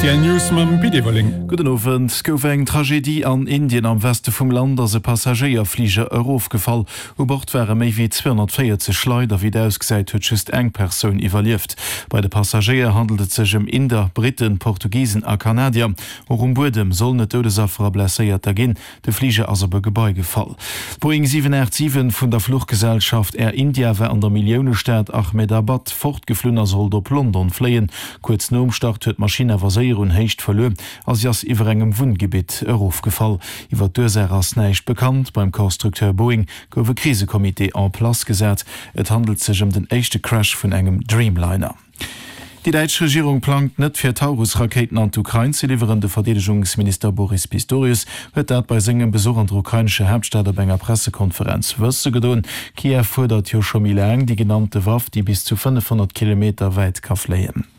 Rtl News mam Pit Everling. Gudden Owend. Et gouf eng Tragedie an Indien. Am Weste vum Land ass e Passagéierfliger erofgefall. U Bord ware méi wéi 240 Leit a wéi et ausgesäit huet just eng Persoun iwwerlieft. Bei de Passagéier handelt et sech ëm Inder, Britten, Portugisen a Kanadier. Och um Buedem sollen et Doudesaffer a Blesséierter ginn. De Fliger ass op e Gebai gefall. D'Boeing 787 vun der Fluchgesellschaft Air India war an der Milliounestad Ahmedabad fortgeflunn a sollt op London fléien. Kuerz nom Start huet d'Maschinn awer séier un Héicht verluer a si ass iwwer engem Wunngebitt erofgefall. Iwwer d'Ursaach ass näischt bekannt. Beim Constructeur Boeing gouf e Krisecomité en place gesat. Et handelt sech ëm den éischte Crash vun engem Dreamliner. Déi däitsch Regierung plangt net, fir Taurus-Rakéiten an d'Ukrain ze liwweren. De Verdeedegungsminister Boris Pistorius huet dat bei sengem Besuch an der ukrainescher Haaptstad op enger Pressekonferenz wësse gedoen. Kiew fuerdert jo scho méi laang déi genannte Waff, déi bis zu 500 Kilometer wäit ka fléien.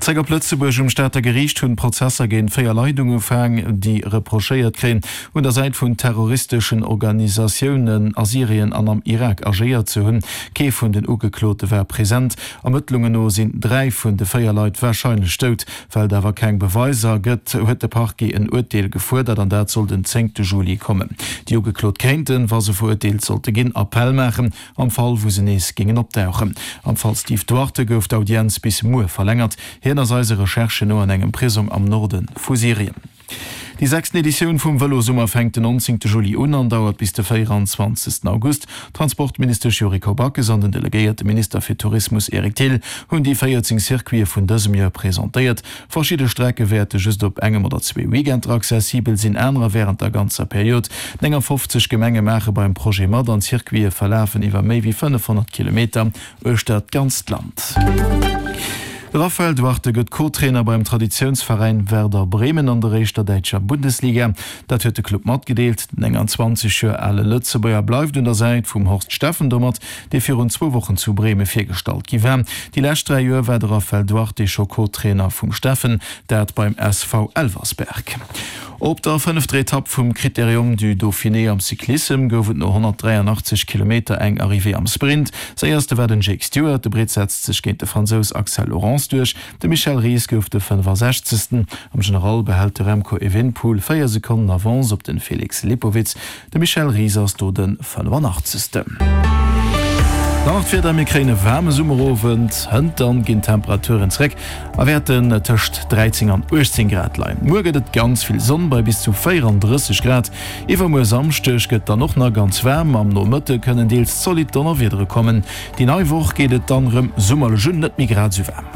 Zréck op Lëtzebuerg. Um Stater Geriicht hunn d'Prozesser géint 4 Leit ugefaang, déi reprochéiert kréien, un der Säit vun terroristeschen Organisatiounen a Syrien an am Irak agéiert ze hunn. Kee vun den Ugeklote war present. Ermëttlungen no sinn 3 vun de 4 Leit warscheinlech dout. Well et awer keng Beweiser gëtt, huet de Parquet en Urteel gefuerdert an dat soll den zéngte Juli kommen. Déi Ugeklot kéinten, wa se verurteelt sollte ginn, Appell maachen. Am Fall wou se nees géingen opdauchen. Am Fall Steve Duarte gouf d'Audienz bis muer verlängert. Hien ass eise Recherchen no an engem Prisong am Norde vu Syrien. Déi sechsten Editioun vum Vëlosummer fänkt den 19 Juli un an dauert bis de 24 August. D'Transportministesch Yuriko Backes an den delegéierte Minister fir Tourismus Eric Thill hunn déi 14 Circuite vun dësem Joer presentéiert. Verschidde Strecke wäerte just op engem oder zwee Weekender accessibel sinn, anerer wärend der ganzer Period. 59 Gemenge maache beim Projet mat an d'Circuite verlafen iwwer méi wéi 500 Kilometer uechter d'ganzt Land. De Raphael Duarte gëtt Co-Trainer beim Traditiounsveräin Werder Bremen an der éischter däitscher Bundesliga. Dat huet de Club matgedeelt. Den 29 Joer ale Lëtzebuerger bleift un der Säit vum Horst Steffen domat dee virun zwou Wochen zu Breme virgestallt gi war. Déi lescht 3 Joer war de Raphael Duarte scho Co-Trainer vum Steffen, dat beim SV Elversberg. Op der fënnefter Etapp vum Critérium du Dauphiné am Cyclissem gouf et no 183 Kilometer eng Arrivée am Sprint. Séierste war den Jake Stewart, de Britt setzt sech géint de Fransous Axel Laurance duerch. De Michel Ries gouf de 65. Am General behält de Remco Evenepoel 4 Sekonnen Avance op den Felix Lipowitz. De Michel Ries ass do de 85. Dann nach d'Wieder, Mir kréien e waarme Summerowend, hënt dann ginn d'Temperaturen zréck a wäerten tëscht 13 an 18 Grad leien. Muer gëtt et ganz vill Sonn bei bis zu 34 Grad. Iwwermuer Samschdeg gëtt dann och nach ganz waarm, am Nomëtte kënnen deels zolidd Donnerwiedere kommen. Déi nei Woch geet et dann rëm summerlech un, net méi grad esou waarm.